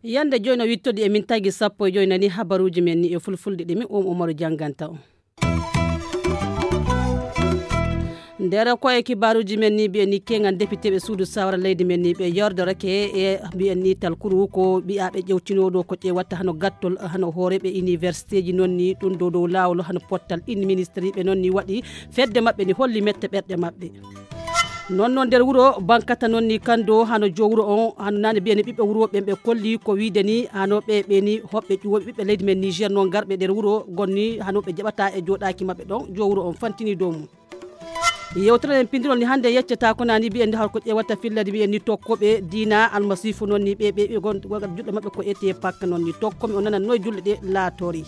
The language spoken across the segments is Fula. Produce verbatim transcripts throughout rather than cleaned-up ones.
Yande joyno wittodi e min tagi sappo e joy nani habaruji men ni e fulfulde ɗi mi um umaru janganta on. Nder ko e kibaruji men ni mbiyen ni kengan depiteɓe suudu sawara leydi men ni ɓe yordorake e mbiyen ni talkuru ko ɓiyaɓe ƴewtinoɗo ko ƴewatta hano gattol hano hooreɓe universitéji noon ni ɗum dow dow lawol hano pottal ɗin ministriɓe noon ni waɗi fedde maɓɓe ni holli mette ɓerɗe maɓɓe. Noon noon nder wuro bankata noon ni kando hano jo wuro on hano nane mbiyani ɓiɓɓe wuro ɓen ɓe kolli ko wiide ni hano ɓe ɓe ni hoɓɓe ƴuwoɓe ɓiɓɓe leydi men niger noon garɓe nder wuro gonni hano ɓe jaɓata e joɗaki maɓɓe ɗon jo wuro on fantini dow mum. Yewtere en pindirol ni hannde yeccata ko nani mbiyen ni hol ko ƴewata fillade mbiyen ni tokkoɓe diina almasifu noon ni ɓe ɓe ɓe gon gonga juɗɗo maɓɓe ko ete pakka noon ni tokkomi o nanan noye julɗe ɗe laatori.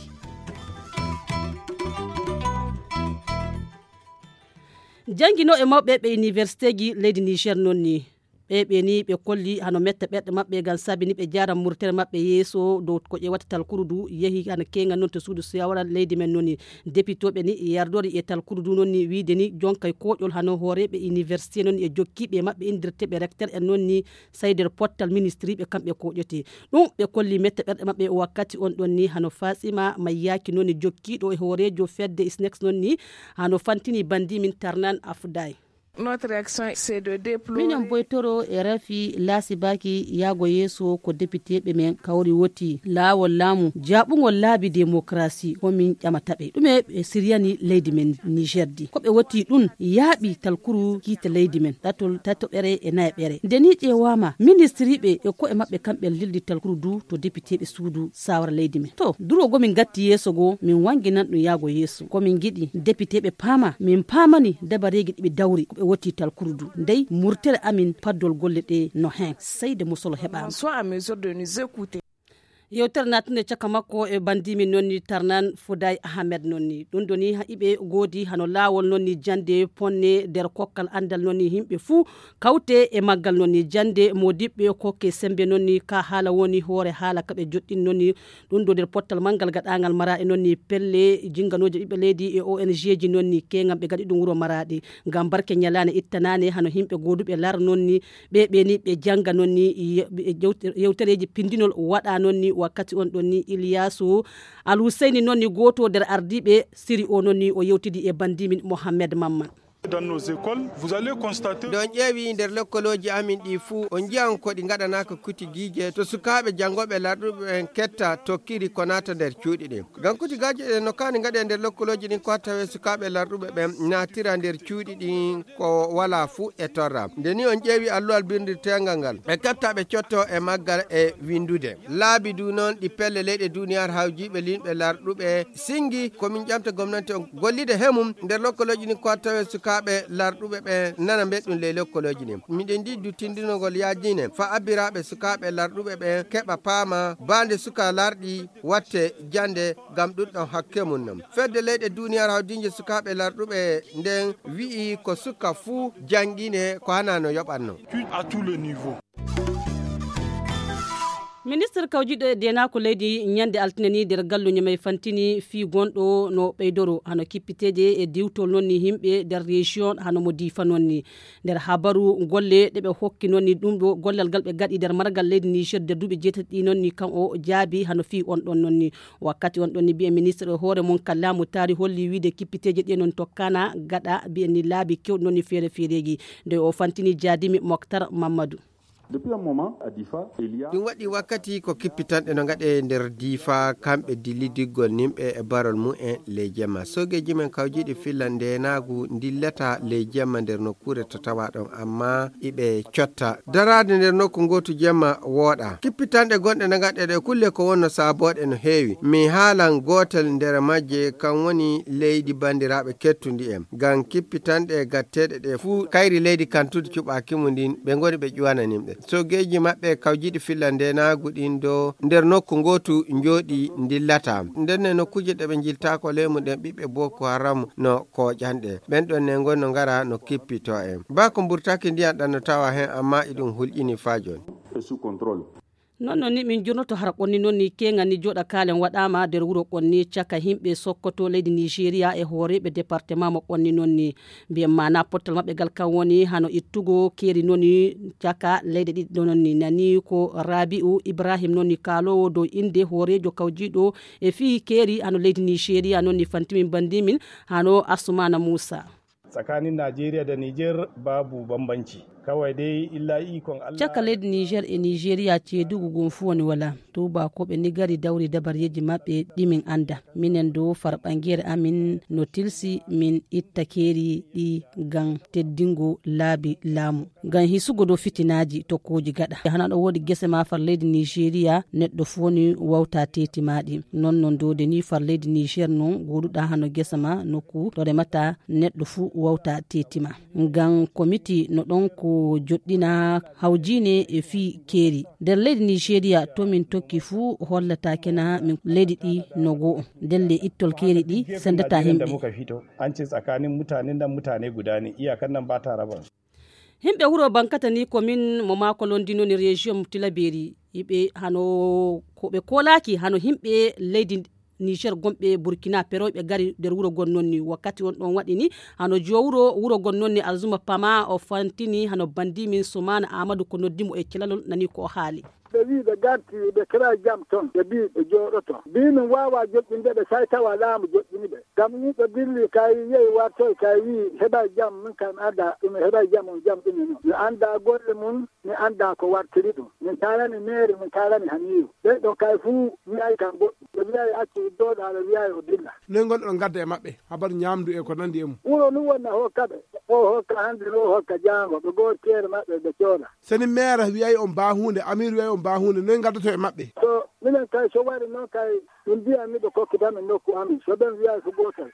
Jannginooɓe mawɓe ɓe universitéji leydi niger noon ni ɓe ɓe ni ɓe kolli hano metta ɓerɗe maɓɓe ngam sabi ni ɓe jara murtere maɓɓe yeeso dow ko ƴewata talkuru du yehi hano kengal noon to suudu sawara leydi men noon ni depitoɓe ni yardori e talkuru du noon ni wiide ni jonkay koƴol hano hooreɓe université noon ni e jokkiɓe maɓɓe indirteɓe recteur en noon ni sey nder pottal ministriɓe kamɓe koƴote ɗum ɓe kolli metta ɓerɗe maɓɓe wakkati on ɗon ni hano fasima mayyaki noon ni jokkiɗo e hoorejo fedde isnex noon ni hano fantini bandi min tarnan afday. Notre réaction, c'est de déplorer. Minen boytoro e rafi laasi baki yaago yeeso ko depiteɓe men kawri woti laawol laamu jaɓugol laabi démocratie ko min ƴamataɓe ɗume ɓe siriyani leydi men niger di ko ɓe woti ɗum yaaɓi talkuru kiite leydi men ɗatol tatoɓere e nayaɓere nde ni ƴeewama ministriɓe e koye maɓɓe kamɓe lildi talkuru du to depiteɓe suudu sawara leydi men to duro go min gatti yeeso go min wanginan ɗum yaago yeeso ko min giɗi depiteɓe paama min paamani dabareeji ɗi ɓe dawri ko ɓe woti talkuru du ndey murtere amin paddol golle ɗe no hen seyde musolo heɓaama. Soit à mesure de nous écouter. Yewtere natunde caka makko e bandimi noon ni tarnan fuday ahmed noon ni ɗum ɗo ni iɓe goodi hano laawol noon ni jande ponne nder kokkal andal noon ni yimɓe fuu kawte e maggal noon ni jande modiɓɓe kokke sembe noon ni ka haala woni hoore haala kaɓe joɗɗin noon ni ɗum ɗo nder pottal manngal gaɗangal maraɗe noon ni pelle jinnganoje ɓiɓɓe leydi e ong ji noon ni kengam ɓe gaɗi ɗum wuro maraɗe ngam barke ñalaande ittanande hano yimɓe gooduɓe lar noon ni ɓe ɓe ni ɓe jannga noon ni yewtereeji pinndinol waɗa noon ni wakkati on ɗon ni ilyasu alhuseyni noon ni gooto nder ardiiɓe siri o noon ni o yewtidi e banndimin mohammed mamman. Dans nos écoles, vous allez constater. Ɗon ƴeewi nder lekkolooji amin ɗi fuu o njiyan ko ɗi ngaɗanaaka kuti giije to sukaaɓe janngooɓe larɗuɓe ɓen ketta tokkiri ko naata nder cuuɗi ɗin. Ngam kuti gaaje ɗen no kaani ngaɗe nder lekkolooji ɗin ko tawe sukaaɓe larɗuɓe ɓen naatira nder cuuɗi ɗin ko walaa fuu e torra. Nde ni on ƴeewi alluwal birndirteengal ngal ɓe ketta ɓe cotto e maggal e winndude. Laabi du noon ɗi pelle leyɗe duuniyaaru hawjiiɓe linɓe larɗuɓe singi ko min ƴamta gomnanti on gollide he mum nder lokkolooji ɗin ko tawe sukaaɓe larɗuɓe ɓe nana mbeɗɗum ley lokkolooji ɗin. Miɗen ndi du tindinogol yaajine fa abbiraaɓe sukaaɓe larɗuɓe ɓe keɓa paama baande suka larɗi watte jannde ngam ɗum ɗon hakke mum non. Fedde leyɗe duuniyaaru hawdiije sukaaɓe larɗuɓe nden wi'i ko suka fuu janngine ko hana no yoɓatno. Puis à tous les niveaux. Ministre kawjiɗo e denaako leydi ñande altine ni nder galluñe may fantini fii gonɗo no ɓeydoro hano kippiteeje e diwtol noon ni yimɓe nder région hano mo diifa noon ni nder habaru golle ɗe ɓe hokki noon ni ɗum ɗo gollal ngal ɓe gaɗi nder margal leydi niger nder duuɓi jeetati ɗi noon ni kan o jaabi hano fii on ɗon noon ni wakkati on ɗon ni mbiye ministre e hoore mum kallamu taari holli wiide kippiteeje ɗe noon tokkana gaɗa mbiyen ni laabi kewɗi noon ni feere feereeji nde o fantini jaadimi moktar mamadou. Depuis un moment à Difa il y a. Ɗum waɗi wakkati ko kippitanɗe no ngaɗe nder diifa kamɓe dillidiggol nimɓe e barol mumen ley jemma soogeeji men kawjiiɗi filla ndeenaagu ndillata ley jemma nder nokkuure to tawa ɗon amma iɓe cotta daraade nder nokku ngootu jemma wooɗa kippitanɗe gonɗe no ngaɗe ɗe kulle ko wonno saabooɗe no heewi mi haalan gootel nder majje kan woni leydi banndiraaɓe kettundi en ngam kippitanɗe gatteeɗe ɗe fuu kayri leydi kantude cuɓaaki mum ndin ɓe ngoni ɓe ƴuwana nimɓe soogeeji maɓɓe kawjiiɗi filla ndenaagu ɗin do nder nokku ngootu njooɗi ndillata ndenne nokkuuje ɗe ɓe njiltaako ley mum ɗen ɓiɓɓe boko haram no kooƴanɗe ɓen ɗon ne ngoni no ngara no kippito en baa ko mburtaki ndiyan ɗan no tawa hen amma iɗum hulƴini faa jooni. Non non ni min jurnoto hara qonni non ni keŋal ni joɗa kalen waɗama nder wuro qonni caka himɓe sokkoto leydi nigéria e hooreɓe département mo qonni non ni mbiyen mana pottal maɓɓe gal kan woni hano ittugo keeri non ni caka leyɗe ɗiɗi ɗo non ni nani ko rabi'u ibrahim non ni kalowo dow inde hoorejo kawjiɗo e fii keeri hano leydi nigéria non ni fantimin bandimin hano asumana moussa. Tsakanin Najeriya da Niger babu bambanci. Kawai dai illa ikon Allah. Caka leydi niger e nigéria ceedugu gum fu woni wala. Tubakoɓe ni gari dawri dabareji maɓɓe ɗi min anda. Minen dow farɓangere amin no tilsi min itta keeri ɗi ngam teddingo laabi laamu. Ngam hisugo dow fitinaaji tokkooji gaɗa hana ɗo woodi gese ma far leydi nigéria neɗɗo fuu woni wawta teeti maaɗi. Non non dow de ni far leydi niger non gooduɗa hano gese ma nokku to remata neɗɗo fuu wawta teeti ma. Ngam komiti no ɗon ko joɗɗina hawjine e fii keeri nder leydi nigéria to min tokki fuu hollata kena min leydi ɗi no goo ndelle ittol keeri ɗi sendata himɓe. An ce tsakanin mutanen nan mutane guda ne iyakan nan ba ta raba. Himɓe wuro bankata ni komin mo maako londinoni région tilaberi yiɓe hano ko ɓe kolaki hano himɓe leydi niger gomɓe burkina peroyɓe gari nder wuro gon nonni wakkati on ɗon waɗini hano jowuro wuro gon nonni alzuma pama o fantini hano bandimin sumana amadou ko noddimo e celalol nani ko o haali. Ɓe wii ɓe garti ɓe keɓay jam ton ɓe mbii ɓe jooɗoto mbii min waawaa joƴƴinde ɓe so hay tawa laamu joƴƴini ɓe. Ngam yimɓe dilli kay yehi wartoy kay wii heɓay jam min kay mi anndaa ɗum heɓay jam on jam ɗum e non mi anndaa golle mum. Mi anndaa ko wartiri ɗum min kaalani meeri min kaalani haniiru ɓen ɗon kay fuu wiyay kam goɗɗum ɓe wiyay accu jooɗaa ɓe wiyay o dilla. Noy ngonɗon ngadda e maɓɓe habaru ñaamdu e ko nanndi e mum. Wuro nun wonna hokka ɓe o hokka hannde no hokka jaango ɓe goori keere maɓɓe ɓe cooda. Seni meera wiyay on baa huunde amiir wiyay on baa huunde noy ngaddoto e maɓɓe. So minen kay so wari noon kay min mbiyan miɗo kokkita min nokku amin so ɓen wiyay ko gootal.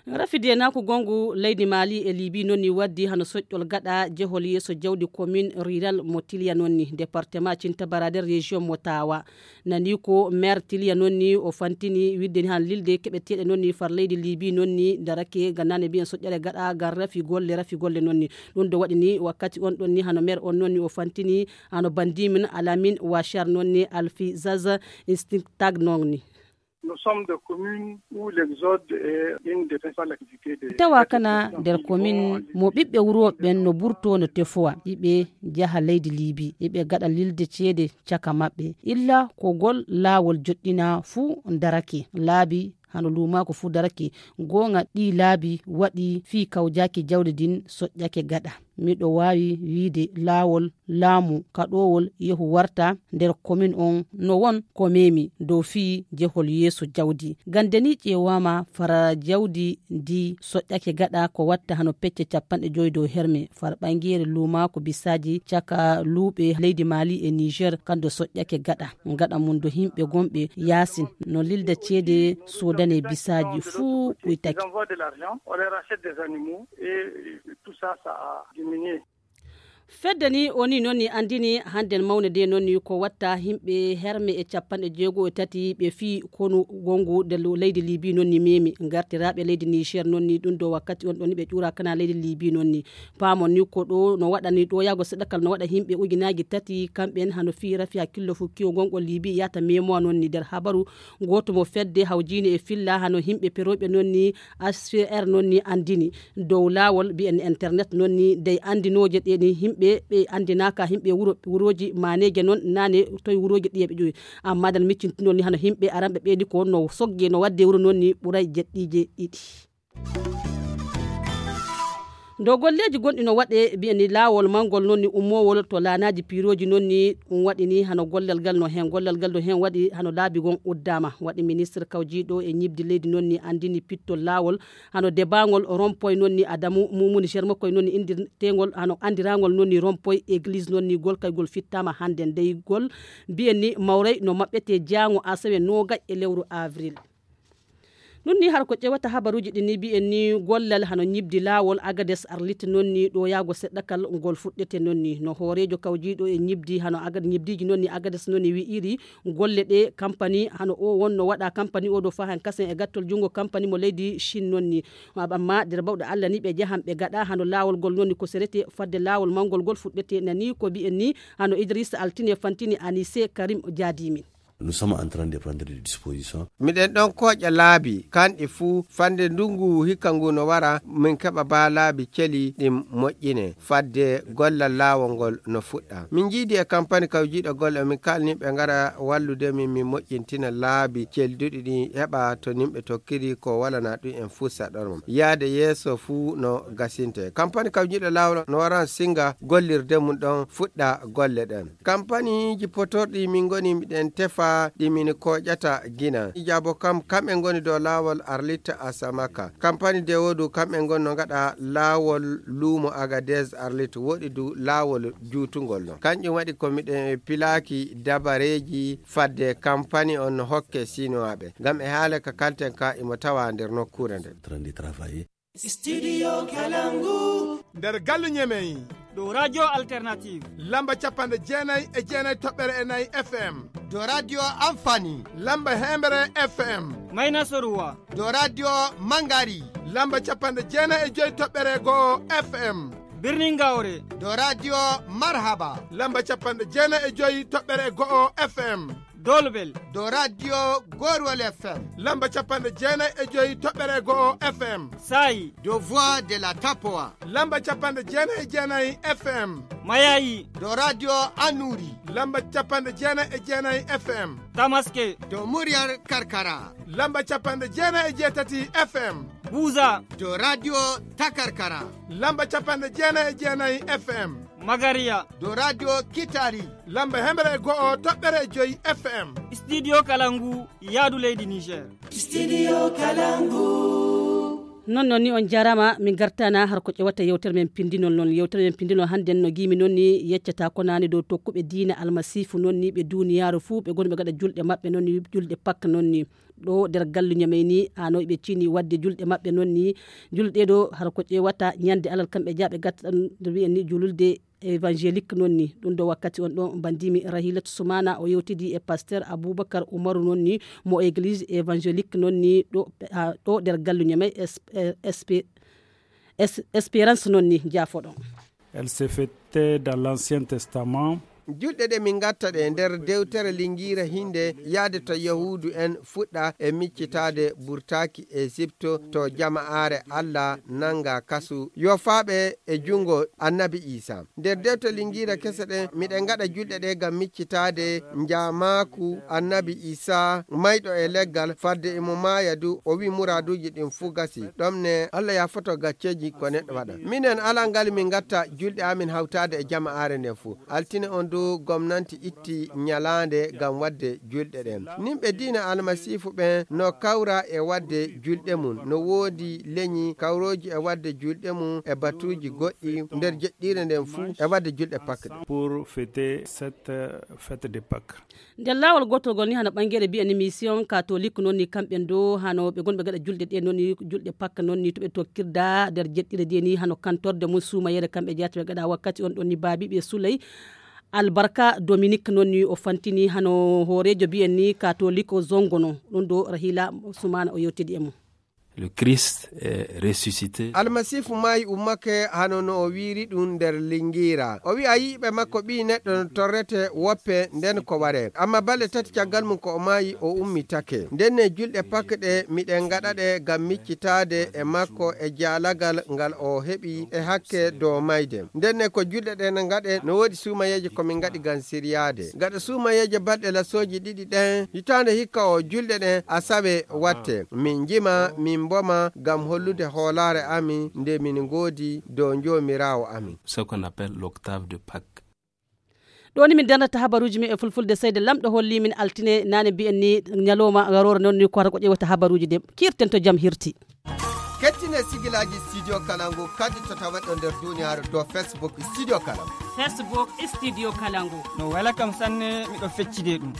Rafi denaku gongu leydi mali e libi nonni waddi hano soƴƴol gaɗa jehol yeeso jawdi commune rural mo tiliya nonni département cintabara nder région mo tawa. Nani ko maire tiliya nonni o fantini widde ni han lilde keɓeteɗe nonni far leydi libi nonni darake gannane mbiyen soƴƴere gaɗa ngam rafi golle rafi golle nonni. Ɗum ɗo waɗi ni wakkati on ɗon ni hano maire on nonni o fantini hano bandimin alamin wachar nonni alfi zaza instinctag nonni. Nous sommes des communes où l'exode est une des principales activités de tawa kana nder komin mo ɓiɓɓe wuro ɓen no burto no tefowa iɓe jaha leydi libi iɓe gaɗa lilde ceede caka maɓɓe illa ko gol laawol joɗɗina fuu darake laabi hano lumaako fuu darake. Goonga ɗi laabi waɗi fii kawjaaki jawdi ndin soƴƴake gaɗa. Miɗo waawi wiide laawol laamu kaɗoowol yehu warta nder komin on no won ko memi dow fii jehol yeeso jawdi ngam deni ƴeewaama fara jawdi ndi soƴƴake gaɗa ko watta hano pecce capanɗe joyi dow herme far ɓangeere luumaako bisaaji caka luuɓe leydi maali e niger kando soƴƴake gaɗa. Gaɗa mum do himɓe gonɓe yaasin no lilda ceede soodane bisaaji fuu ɓuytake. Fedde ni o ni noon ni anndini hannden mawnde nde noon ni ko watta himɓe herme e capanɗe jeego e tati ɓe fii konu wongu nde leydi libi noon ni memi ngartiraaɓe leydi niger noon ni ɗum ɗo wakkati on ɗon ni ɓe ƴuura kana leydi libi noon ni. Paamon ni ko ɗo no waɗani ɗo yaago seɗɗa kala no waɗa himɓe ujunaaji tati kamɓen hano fii rafi hakkillo fukki o gonɗo libi yahata memoa noon ni nder habaru. Gooto mo fedde hawjiini e filla hano himɓe perooɓe noon ni, h c r noon ni anndini dow laawol mbiyen internet noon ni dey anndinooje ɗe ni himɓe ɓe anndinaaka himɓe wuro wurooji maaneeje noon naane toye wurooji ɗiye ɓe ƴowi. Amma dan miccintinol ni hano himɓe aranɓe ɓeydi ko no sogge no waɗde wuro noon ni ɓuray jeɗɗiije ɗiɗi. Dow golleeji gonɗi no waɗe mbiyani laawol manngol noon ni ummoowol to laanaaji piirooji noon ni ɗum waɗi ni hano gollal ngal no heen gollal ngal no heen waɗi hano laabi gon uddaama waɗi ministre kawjiiɗo e ñiɓdi leydi noon ni anndini pittol laawol hano debaangol rompoy noon ni adamu mumuni germakoy noon ni inndirteengol hano anndiraangol noon ni rompoy église noon ni golkaygol fittaama hannde ndeygol mbiyen ni mawray no maɓɓetee jaango asawe noogay e lewru avril. Ɗum ni har ko ƴewata habaruuji ɗi ni mbiyen ni gollal hano ñibdi laawol Agades Arlit noon ni ɗo yaago seɗɗa kal ngol fuɗɗete noon ni. No hooreejo kawjiiɗo e ñibdi hano Agad-, ñibdiiji noon ni Agades noon ni wi'iri golle ɗe kampani hano o wonno waɗa kampani o ɗo fahan kasen e gattol junngo kampani mo leydi Chine noon ni. Amma nder bawɗe Allah ni ɓe jahan ɓe gaɗa hano laawol ngol noon ni ko serete fadde laawol mawngol ngol fuɗɗete nani ko mbiyen ni hano Idrissa Altine Fantini Anise Karim Jaadimin. Nous sommes en train de prendre des dispositions. Miɗen ɗon kooƴa laabi, kanɗi fuu, fande ndungu hikka ngu no wara, min keɓa baa laabi celi ɗin moƴƴine, fadde gollal laawol ngol no fuɗɗa. Min njiidi e kampani kawjiiɗo golle, min kaalni ɓe ngara wallude min, min moƴƴintina laabi celduɗi ɗin, heɓa to nimɓe tokkiri ko walana ɗum en fuu saɗorma. Yaade yeeso fuu no gasinte. Kampani kawjiiɗo laawol no waran singa gollirde mum ɗon fuɗɗa golle ɗen. Kampaniiji potorɗi min ngoni miɗen tefa ɗi min kooƴata gina. Ijabo kam, kamɓe ngoni dow laawol Arlit Asamaka. Kampani Dewodu kamɓe ngoni no ngaɗa laawol luumo Agadez Arlit, woɗi du laawol juutungol no. Kanƴum waɗi ko miɗen pilaaki dabareeji fadde kampani on no hokke Sinuwaaɓe. Ngam e haala ka kalten ka imo tawa nder nokkuure nden. Studio Kalangu. Nder gallu Ñemey. Ɗo Radio Alternative. Lamba capanɗe jeenayi e jeenayi toɓɓere e nayi F M. Do Radio Amfani. Lamba hemɓere F M. Mayna Soruwa. Do Radio Mangari. Lamba capanɗe jeenayi e joyi toɓɓere go'o F M. Birnin Gawre. Do Radio Marhaba. Lamba capanɗe jeenayi e joyi toɓɓere go'o F M. Dolbel. Do Radio Gorwol F M. Lamba capanɗe jeenayi e joyi toɓɓere go'o F M. Saayi. Do Voix de la Tapoa. Lamba capanɗe jeenayi e jeenayi F M. Mayayi. Do Radio Anuri. Lamba capanɗe jeenayi e jeenayi F M. Tamaske. Do Muryar Karkara. Lamba capanɗe jeenayi e jeetati F M. Buza. Do Radio Takarkara. Lamba capanɗe jeenayi e jeenayi F M. Magariya. Do Radio Kitari. Lamba hemre e go'o toɓɓere e joyi F M. Studio Kalangu, yaadu leydi Niger. Studio Kalangu. Non non ni on jarama, min gartana har ko ƴewata yewtere men pindinol non. Yewtere men pindinol hande no gimi non ni yeccata ko nani dow tokkuɓe diina almasifu non ni ɓe duniyaaru fuu ɓe goni ɓe gaɗa julɗe maɓɓe non ni julɗe Pak non ni. Ɗo nder gallu Ñamey ni, hanoy ɓe cini wadde julɗe maɓɓe non ni. Julɗe ɗo har ko ƴewata ñande alal kamɓe jaaɓe gatta ɗan nde wi'en ni jululde évangélique non ni. Ɗum ɗo wakkati on ɗo mbandimi Rahilatu Sumana o yewtidi e pasteur Aboubacar Oumarou non ni mo église évangélique non ni ɗo, ha, ɗo nder gallu Ñamey S P, S P, S, Espérance non ni jaafoɗon. Elle se fêtait dans l'Ancien Testament. Julɗe ɗe min ngatta ɗe nder dewtere Lingiira hinde yaade to Yahuudu en fuɗɗa e miccitaade burtaaki Esipto to jama'aare Allah nanga kasu yofaaɓe e jungo annabi Iisa. Nder dewte Lingiira kese ɗen miɗen ngaɗa julɗe ɗe ngam miccitaade njaamaaku annabi Iisa mayɗo e leggal fadde imo maaya du o wi muraaduuji ɗin fuu gasi. Ɗon ne Allah yaafoto gacceeji ko neɗɗo waɗa. Minen alaa ngal min ngatta julɗe amin hawtaade e jama'aare nden fuu. Altine on du gomnanti itti ñalaande ngam waɗde julɗe ɗen. Nimɓe diina almasiifu ɓen no kawra e waɗde julɗe mum. No woodi leñi kawrooji e waɗde julɗe mum e batuuji goɗɗi nder jeɗɗiire nden fuu e waɗde julɗe Pak ɗen. Pour fêter cette, euh, fête de Pâques. Nder laawol gootol ngol ni hano ɓangere mbiyen ni mission catholique non ni kamɓe ɗo hano ɓe gonɓe gaɗa julɗe ɗe non ni julɗe Pak non ni to ɓe tokkirda nder jeɗɗire de ni hano kantorde mum suumayere kamɓe jeyata ɓe gaɗa wakkati on ɗon ni baabiɓe Suley Albarka Dominique non ni o fantini hano hooreejo mbiyen ni catholique o zongo non ɗum ɗo Rahila Sumana o yewtidi e mum. Le Christ est ressuscité. Almasiifu maayi ummake hano no o wiiri ɗum nder Lingiira. O wi'a yiiɓe makko ɓii neɗɗo no torrete woppe nden ko waree. Amma balɗe tati caggal mum ko o maayi o ummitake. Nden ne julɗe Pak ɗe miɗen ngaɗa ɗe ngam miccitaade e makko e jaalagal ngal o heɓi e hakke dow mayde. Nden ne ko julɗe ɗen ngaɗe no woodi suumayeeje ko min ngaɗi ngam siryaade. Gaɗa suumayeeje balɗe lasooji ɗiɗi ɗen hitaande hikka o julɗe ɗen asawe watte. Min njima, min mboma ngam hollude hoolaare amin nde min ngoodi dow Joomiraawo amin. Ce qu'on appelle l'octave de Pâques. Ɗo ni min darnata habaruuji men e fulfulde seyde lamɗo holli min altine nane mbiyen ni ñalawma garoore non ni ko hara ko ƴewata habaruuji ɗe kiirten to jam hirti. Kettine sigilaaji Studio Kalangu kadi to taweɗo nder duniyaaru dow Facebook Studio Kalangu. Facebook Studio Kalangu. No wela kam sanne miɗo feccide ɗum.